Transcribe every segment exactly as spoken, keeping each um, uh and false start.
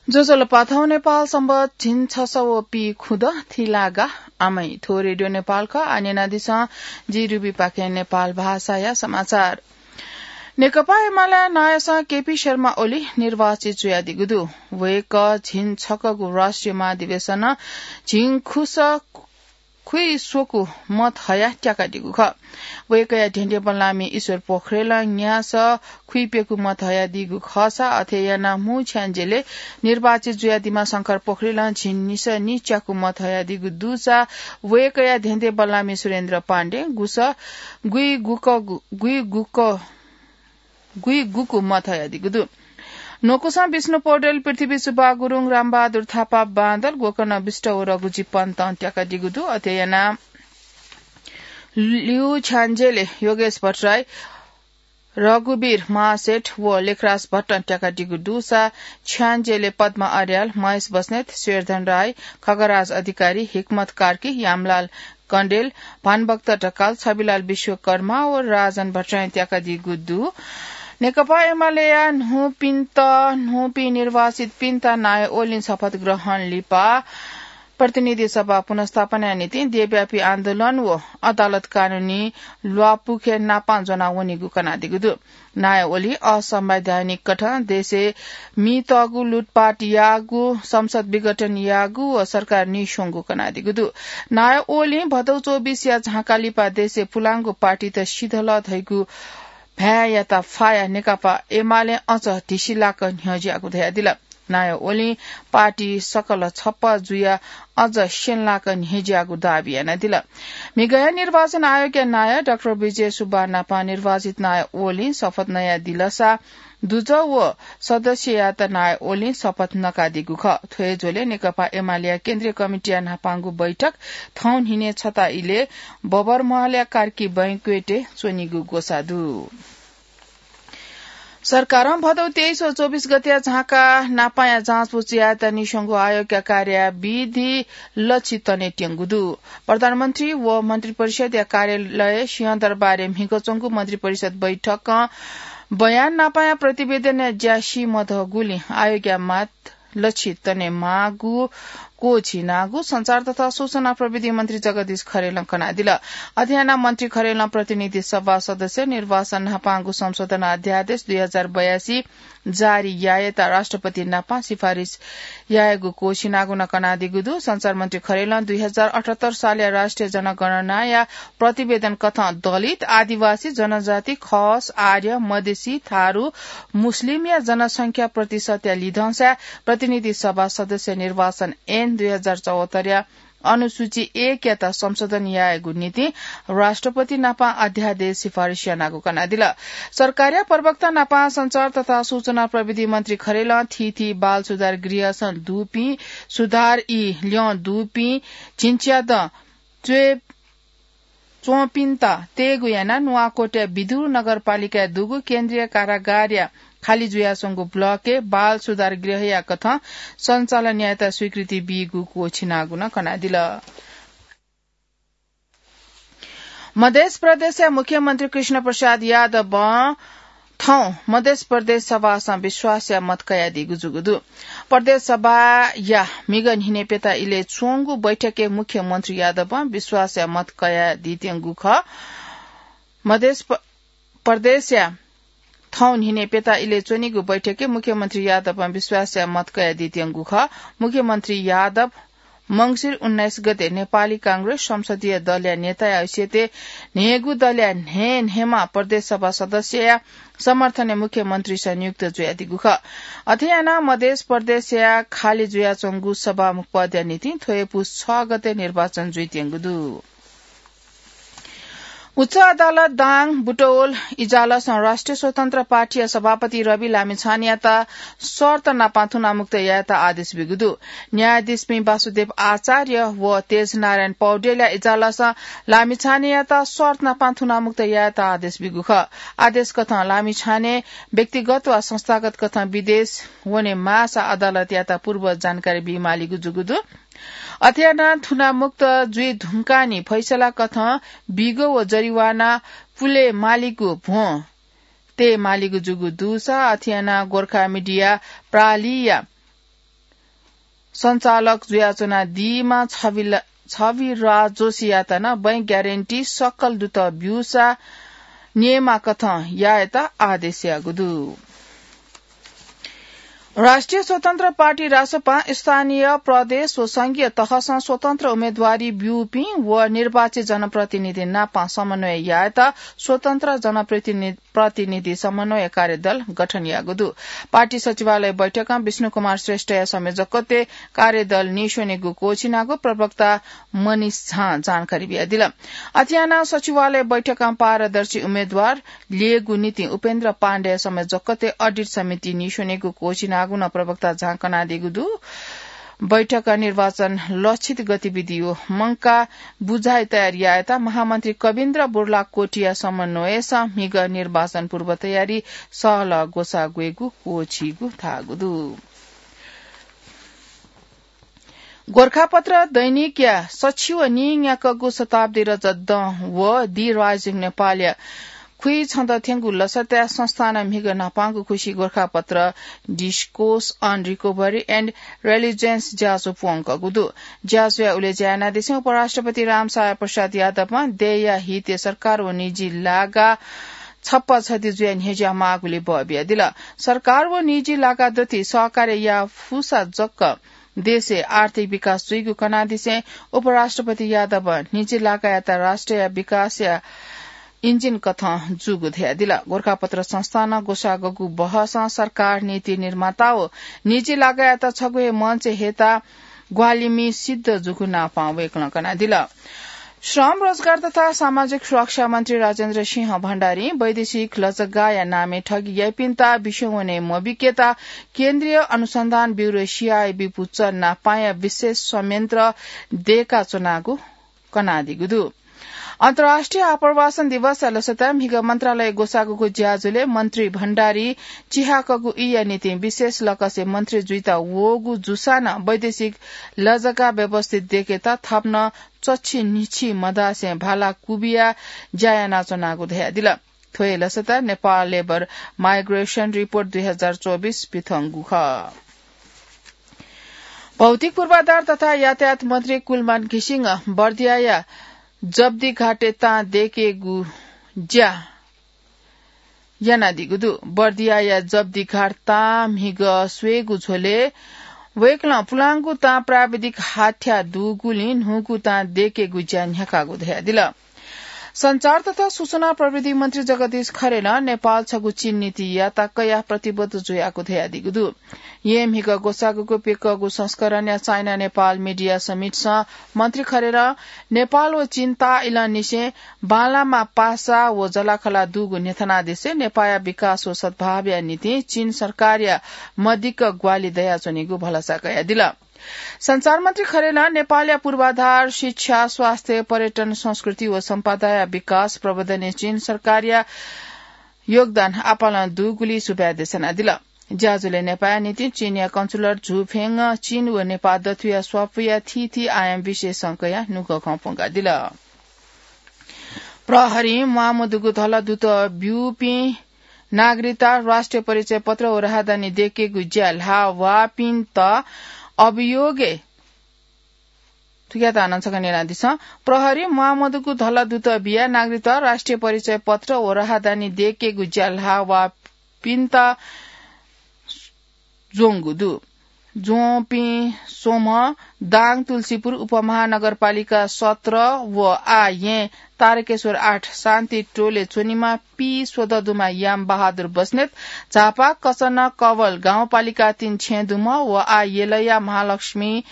ज्वजलपा, थौं नेपाल संवत् झिंछसः व पीखुदँ थिलागा आमै। थ्व रेडियो नेपाल खः। आः न्यनादिसँ जि रुबीपाखें नेपाल भाषाया समाचार। नेकपा एमाले नायःसं केपी शर्मा ओली निर्वाचित जुयादीगु दु। वय्‌कः झिंछकःगु राष्ट्रिय महाधिवेशनं झिंखुसः खुइस्वकू मत हयाः त्याकादीगु खः। वय्‌कःया धेंधेंबल्लामि ईश्वर पोखरेलं न्यासः खुइप्यकू मत हयादीगु खःसा अथे यानाः मू छ्याञ्जेलय् निर्वाचित जुयादीम्ह शंकर पोखरेलं झिंनिसः निच्याकू मत हयादीगु दुसा वय्‌कःया धेंधेंबल्लामि सुरेन्द्र पाण्डे गुसः गुइगुक, गुइगुक गुइगुकू मत हयादीगु दु। न्वकुसं विष्णु पौडेल, पृथ्वी सुब्बा गुरुङ, रामबहादुर थापा बांदल, गोकर्ण विष्ट व रघुजी पन्तं त्याकादीगु दु। अथे यानाः लिउ छ्याञ्जेलय् योगेश भट्टराई, रघुवीर महासेठ व लेखराज भट्टं त्याकादीगु दुसा छ्याञ्जेलय् पद्म अर्याल, महेश बस्नेत, शेरधन राई, खगराज अधिकारी, हिक्मत कार्की, यामलाल कण्डेल, भानुभक्त ढकाल, छविलाल विश्वकर्मा व राजन भट्टराईं त्याकादीगु दु। नेकपा एमालेया न्हूपिन्त, न्हूपिं निर्वाचितपिन्त नायः ओलीं शपथ ग्रहण लिपा प्रतिनिधि सभा पुनर्स्थापनाया निंतिं देशव्यापी आन्दोलन व अदालत कानूनी ल्वापुखे नापां ज्वनावनीगु कनादीगु दु। नायः ओली असंवैधानिक कथं देशय् मीतःगु लुटपाट याःगु, संसद विघटन याःगु व सरकार नीस्वंगु कनादीगु दु। नायः ओलीं भदौ चौबिसया झाँका लिपा देशय् पुलांगु पार्टीत सिधल धइगु भाय्‌यात फायाः नेकपा एमालें अझ धिसिलाक न्ह्यज्याःगु धयादिल। नायः ओलीं पार्टी सकल छप्पँ जुयाः अझ स्यंलाक न्ह्यज्याःगु दाबी यानादिल। म्हिगःया निर्वाचन आयोगया नायः डाक्टर विजय सुब्बा नापं निर्वाचित नायः ओलीं शपथ नयादिलसा दुजः व सदस्ययात नायः ओलीं शपथ नकादीगु खः। थ्व हे झ्वलय् नेकपा एमालेया केन्द्रीय कमिटीया न्हापांगु बैठक थौं न्हिनय् छता इलय् बबरमहलया कार्की बैंक्वेटय् च्वनीगु ग्वसाः दु। सरकारं भदौ तेइस व चौबिस गतेया झाँका नापांया जाँचबुझ यायेत नीस्वंगु आयोगया कार्यविधि लछि तनेत्यंगु दु। प्रधानमन्त्री व मन्त्रिपरिषदया कार्यालय सिंहदरबारय् म्हिगः च्वंगु मन्त्रिपरिषद बैठकं बयान नापांया प्रतिवेदनया ज्या सी मदःगुलिं आयोगया मात लछि तनेमाःगु क्वःछिनागु सञ्चार तथा सूचना प्रविधि मन्त्री जगदीश खरेलं कनादिल। अथे यानाः मन्त्री खरेलं प्रतिनिधि सभा सदस्य निर्वाचन न्हापांगु संशोधन अध्यादेश दुई हजार बयासी जारी यायेत राष्ट्रपति नापं सिफारिस यायेगु क्वःछिनागु नं कनादीगु दु। सञ्चार मन्त्री खरेलं दुई हजार अठहत्तर सालया राष्ट्रिय जनगणनाया प्रतिवेदन कथं दलित, आदिवासी, जनजाति, खस, आर्य, मधेसी, थारु, मुस्लिमया जनसंख्या प्रतिशतया लिधंसाय् प्रतिनिधि सभा सदस्य निर्वाचन ऐन दुई हजार चौहत्तरया अनुसूची एकयात संशोधन यायेगु निंतिं राष्ट्रपति नापं अध्यादेश सिफारिस यानागु कनादिल। सरकारया प्रवक्ता नापं सञ्चार तथा सूचना प्रविधि मन्त्री खरेलं थीथी बाल सुधार गृहसं दुपिं, सुधार ई ल्यं दुपिं झिंच्यादँ च्वय् च्वंपिन्त तयेगु यानाः नुवाकोटया बिदुर नगरपालिकाय् दुगु केन्द्रीय कारागारया खालि जुयाच्वंगु ब्लकय् बाल सुधार गृहया कथं सञ्चालन यायेत स्वीकृति बीगु क्वःछिनागु नं कनादिल। मधेस प्रदेशया मुख्यमन्त्री कृष्ण प्रसाद यादवं थौं मधेस प्रदेश सभासं विश्वासया मत कयादीगु जूगु दु। प्रदेश सभाया म्हिगः न्हिनय् प्यता इलय् च्वंगु बैठकय् मुख्यमन्त्री यादवं विश्वासया मत कयादीत्यंगु खः। मधेस प-, प्रदेशया थौं न्हिनय् प्यता इलय् च्वनीगु बैठकय् मुख्यमन्त्री यादवं विश्वासया मत कयादीत्यंगु खः। मुख्यमन्त्री यादव मंसिर उन्नाइस गते नेपाली कांग्रेस संसदीय दलया नेताया हैसियतय् न्हय्‌गू दलया न्हय्‌न्हय्‌म्ह प्रदेश सभा सदस्यया समर्थनय् मुख्यमन्त्रीस नियुक्त जुयादीगु खः। अथे यानाः मधेस प्रदेशया खालि जुयाच्वंगु सभामुख पदया निंतिं थ्व हे पुस छ गते निर्वाचन जुइत्यंगु दु। उच्च अदालत दाङ बुटवल इजलासं राष्ट्रिय स्वतन्त्र पार्टीया सभापति रवि लामिछानेयात शर्त नापं थुनामुक्त यायेत आदेश बीगु दु। न्यायाधीशपिं वासुदेव आचार्य व तेजनारायण पौडेलया इजलासं लामिछानेयात शर्त नापं थुनामुक्त यायेत आदेश बीगु खः। आदेश कथं लामिछाने व्यक्तिगत वा संस्थागत कथं विदेश वने माःसा अदालतयात पूर्व जानकारी बीमालीगु जूगु दु। अथे यानाः थुनामुक्त जुइ धुंकाःनि फैसला कथं बिगो व जरिवाना पुले मालीगु भ्वं तये मालीगु जूगु दुसा अथे यानाः गोर्खा मिडिया प्रालिया सञ्चालक जुयाच्वनादीम्ह छवि-, छविराज जोशीयात नं बैंक ग्यारेन्टी सकल दुत ब्यूसा नियमकथं यायेत आदेश याःगु दु। राष्ट्रिय स्वतन्त्र पार्टी रासपां स्थानीय, प्रदेश व संघीय तहसं स्वतन्त्र उम्मेदवारी ब्यूपिं व निर्वाचित जनप्रतिनिधि नाप समन्वय यायेत स्वतन्त्र जनप्रतिनि-, प्रतिनिधि समन्वय कार्यदल गठन याःगु दु। पार्टी सचिवालय बैठकं विष्णु कुमार श्रेष्ठया संयोजकत्वय् कार्यदल नीस्वनेगु क्वःछिनागु प्रवक्ता मनिष झां जानकारी बियादिल। अथे यानाः सचिवालय बैठकं पारदर्शी उम्मेदवार ल्ययेगु निंतिं उपेन्द्र पाण्डेया संयोजकत्वय् अडिट समिति नीस्वनेगु क्वःछिनागु नं प्रवक्ता झां कनादीगु दु। बैठकं निर्वाचन लक्षित गतिविधि व मंकाः बुझाइ तयार यायेत महामन्त्री कविन्द्र बुर्लाकोटीया समन्वयसं म्हिगः निर्वाचन पूर्व तयारी सहलह ग्वसाः ग्वयेगु क्वःछिइगु धाःगु दु। गोरखापत्र दैनिकया सछि व नीन्याक्वःगु शताब्दी रजत दँ व The Rising नेपालया खुइछन्द थ्यंगु लसताय् संस्थानं म्हिगः न्हापांगु खुसि Gorkhapatra Discourse on Recovery and Resilience ज्याझ्वः प्वंकःगु दु। ज्याझ्वःया उलेज्या यानादिसें उपराष्ट्रपति रामसहाय प्रसाद यादवं देय्‌या हितय् सरकार व निजी लागा छप्पा छधि जुयाः न्ह्यज्याःमाःगुलि बः बियादिल। सरकार व निजी लागा दथुइ सहकार्य याः फुसा जक देशय् आर्थिक विकास जुइगु कनादिसें उपराष्ट्रपति यादवं निजी लागायात राष्ट्रया विकासया इन्जिन कथं जूगु धयादिल। गोरखापत्र संस्थानं ग्वसाःगु बहसं सरकार, नीति निर्माता व निजी लागायात छगू हे मञ्चय् हयेत ग्वाहालिमि सिद्ध जूगु नापं वय्‌कलं कनादिल। श्रम, रोजगार तथा सामाजिक सुरक्षा मन्त्री राजेन्द्र सिंह भण्डारीं वैदेशिक लजगाःया नामय् ठगी याइपिन्त विश्वं वने मबिकेत केन्द्रीय अनुसन्धान ब्यूरो, सीआइबी, पुचः नापांया विशेष संयन्त्र दय्‌काच्वनागु कनादीगु दु। अन्तर्राष्ट्रिय आप्रवासन दिवसया लसताय् म्हिगः मन्त्रालय ग्वसाःगु ज्याझ्वलय् मन्त्री भण्डारीं चिहाकःगु ईया निंतिं विशेष लकसय् मन्त्री जुइत वःगु जूसां नं वैदेशिक लजगाः व्यवस्थित दय्‌केत थप नं चच्छि न्हिच्छि मधासें भाला कुबिया ज्या यानाच्वनागु धयादिल। थ्व हे लसताय् नेपाल लेबर माइग्रेसन रिपोर्ट दुई हजार चौबिस पिथंगु खः। भौतिक पूर्वाधार तथा यातायात मन्त्री कुलमान घिसिङं बर्दियाया जब्दीघाटय् तां दय्‌केगु ज्या यानादीगु दु। बर्दियाया जब्दीघाट तां म्हिगः स्वयेगु झ्वलय् वय्‌कलं पुलांगु तां प्राविधिक हाथ्या दुगुलिं न्हूगु तां दय्‌केगु ज्या न्ह्याकागु धयादिल। सञ्चार तथा सूचना प्रविधि मन्त्री जगदीश खरेलं नेपाल छगू चीन नीतियात कयाः प्रतिबद्ध जुयागु धयादीगु दु। येँ म्हिगः ग्वसाःगुको प्यकःगु संस्करणया चाइना नेपाल मिडिया समिटसं मन्त्री खरेलं नेपाल व चीन ताःइलंनिसें बांलामा पासा व जलाखला दुगु न्ह्यथनादिसें नेपाःया विकास व सद्भावया निंतिं चीन सरकारया मदिक्क ग्वाहालि दयाच्वनीगु भलसा कयादिल। सञ्चार मन्त्री खरेलं नेपालया पूर्वाधार, शिक्षा, स्वास्थ्य, पर्यटन, संस्कृति व सम्पदाया विकास प्रवर्धनय् चीन सरकारया योगदान आपालं दुगुलिं सुभाय् देछानादिल। ज्याझ्वलय् नेपाःया निंतिं चीनया कन्सुलर झु फेङं चीन व नेपाः दथुया स्वापूया थीथी आयाम विषयसं कयाः नुगः खँ प्वंकादिल। प्रहरीं म्वाःमदुगु धलदुत ब्यूपिं नागरिकता, राष्ट्रिय परिचय पत्र व राहदानी दय्‌केगु ज्या ल्हाः वःपिन्त अभियोगय् थुकियात हानं छकः न्यनादिसँ। प्रहरीं म्वाःमदुगु धलदुत बियाः नागरिकता, राष्ट्रिय परिचय पत्र व राहदानी दय्‌केगु ज्या ल्हाः वःपिन्त ज्वंगु दु। ज्वंपिं स्वम्ह दाङ तुलसीपुर उपमहानगरपालिका सत्र व आः येँ तारकेश्वर आठ शान्ति टोलय् च्वनीम्ह पीस्वदँ दुम्ह याम बहादुर बस्नेत, झापा कचन कवल गाउँपालिका तीन छेँ दुम्ह व आः यलया महालक्ष्मी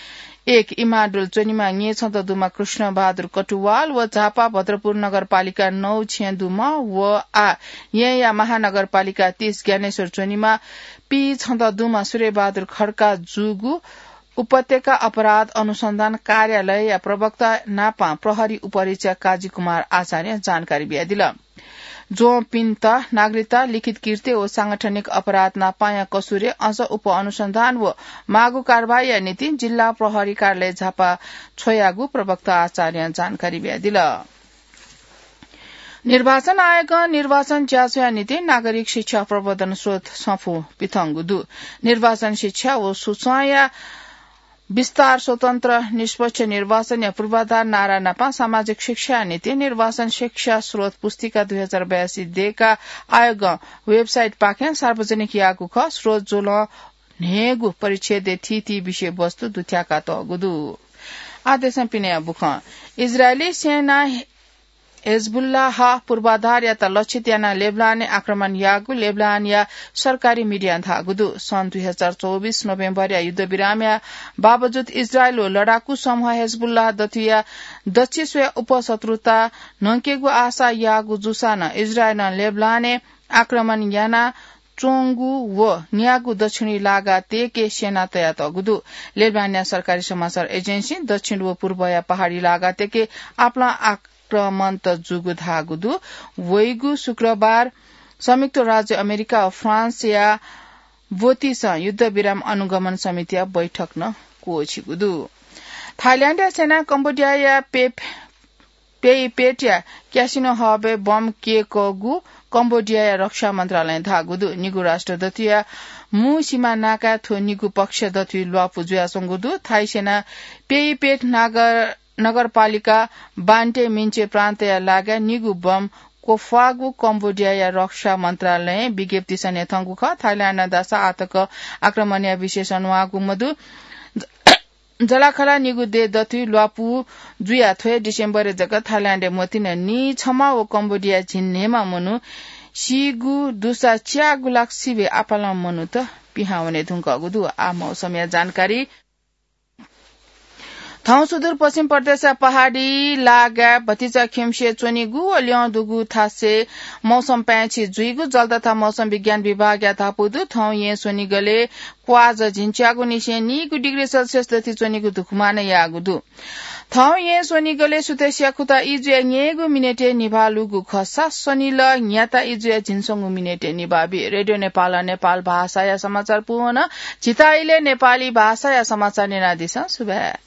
एक इमाडोल च्वनीम्ह न्येछदँ दुम्ह कृष्ण बहादुर कटुवाल व झापा भद्रपुर नगरपालिका नौ छेँ दुम्ह व आः येँया महानगरपालिका तीस ज्ञानेश्वर च्वनीम्ह पीछदँ दुम्ह सूर्यबहादुर खड्का जूगु उपत्यका अपराध अनुसन्धान कार्यालयया प्रवक्ता नापं प्रहरी उपरीक्षक काजीकुमार आचार्यं जानकारी बियादिल। ज्वंपिन्त नागरिकता, लिखित कृत्य व सांगठनिक अपराध नापांया कसुरय् अझ उपअनुसन्धान व माःगु कारवाहीया निंतिं जिल्ला प्रहरी कार्यालय झापा छ्वयागु प्रवक्ता आचार्यं जानकारी बियादिल। निर्वाचन आयोगं निर्वाचन ज्याझ्वःया निंतिं नागरिक शिक्षा प्रवर्धन स्रोत सफू पिथंगु दु। निर्वाचन शिक्षा व सूचनाया विस्तार, स्वतन्त्र, निष्पक्ष निर्वाचनया पूर्वाधार नारा नापं सामाजिक शिक्षाया निंतिं निर्वाचन शिक्षा स्रोत पुस्तिका दुई हजार बयासी देय्‌का आयोगं website पाखें सार्वजनिक याःगु खः। स्रोत ज्वलं न्हय्‌गू परिच्छेदय् थीथी विषयवस्तु दुथ्याकातःगु दु। आदेशं पिने बुखं इजरायली सेना हेजबुल्लाह पूर्वाधारयात लक्षित यानाः लेबनानय् आक्रमण याःगु लेबनानया सरकारी मिडियां धाःगु दु। सन् दुई हजार चौबिस नोभेम्बरया युद्धविरामया बावजुद इजरायल व लडाकु समूह हेजबुल्लाह दथुया दच्छि स्वया उपशत्रुता न्हंकेगु आशा याःगु जूसां नं इजरायलं लेबनानय् आक्रमण याना च्वंगु व न्यागू दक्षिणी लागा तेके सेना तयातःगु दु। लेबनानया सरकारी समाचार एजेन्सी दक्षिण व पूर्वया पहाडी लागा तेके आपालं आक्रमण जूगु धाःगु दु। वइगु शुक्रबार संयुक्त राज्य अमेरिका व फ्रान्सया ब्वतिसं युद्धविराम अनुगमन समितिया बैठक नं क्वःछिगु दु। थाइल्याण्डया सेनां कम्बोडियाया पेप पेइपेटया क्यासिनो हबय् बम क्यय्‌कःगु कम्बोडियाया रक्षा मन्त्रालयं धाःगु दु। निगू राष्ट्र दथुया मू सीमा नाकाय् थ्व निगू पक्ष दथुइ ल्वापु जुयाच्वंगु दु। थाई सेना पेइपेट नागर, नगरपालिका बान्टे मिन्चे प्रान्तया लागाय् निगू बम क्वफ्वाःगु कम्बोडियाया रक्षा मन्त्रालयं विज्ञप्ति सनेधंगु खः। थाइल्याण्डं धाःसा आःतक आक्रमणया विषय सनावःगु मदु। जलाखला निगू देय् दथुइ ल्वापु जुयाः थ्व हे डिसेम्बरय् जक थाइल्याण्डय् मतिना नीछम्ह व कम्बोडियाय् झिंन्हय्‌म्ह मनू सीगु दुसा च्यागू लाख सिबें आपालं मनूत पिहां वने धुंकूगु दु। आः मौसमया जानकारी। थौं सुदूरपश्चिम प्रदेशया पहाडी लागाय् भतिचा खिउँसे च्वनीगु व ल्यं दुगु थासय् मौसम पाय्‌छि जुइगु जल तथा मौसम विज्ञान विभागया धापू दु। थौं येँ स्वनिगलय् क्वाःझ झिंच्यागू निसें नीगू डिग्री सेल्सियस दथुइ च्वनीगु धुकुमानं याःगु दु। थौं येँ स्वनिगलय् सुथसिया खुता इजुया न्यय्‌गू मिनेटय् निभाः लूगु खःसा स्वनिलः न्याता इजुया झिंस्वंगू मिनेटय् निभाः बी। रेडियो नेपालं नेपाल भाषाया समाचार पूवन। झीत इलय् नेपाली भाषाया समाचार न्यनादिसँ। सुभाय्।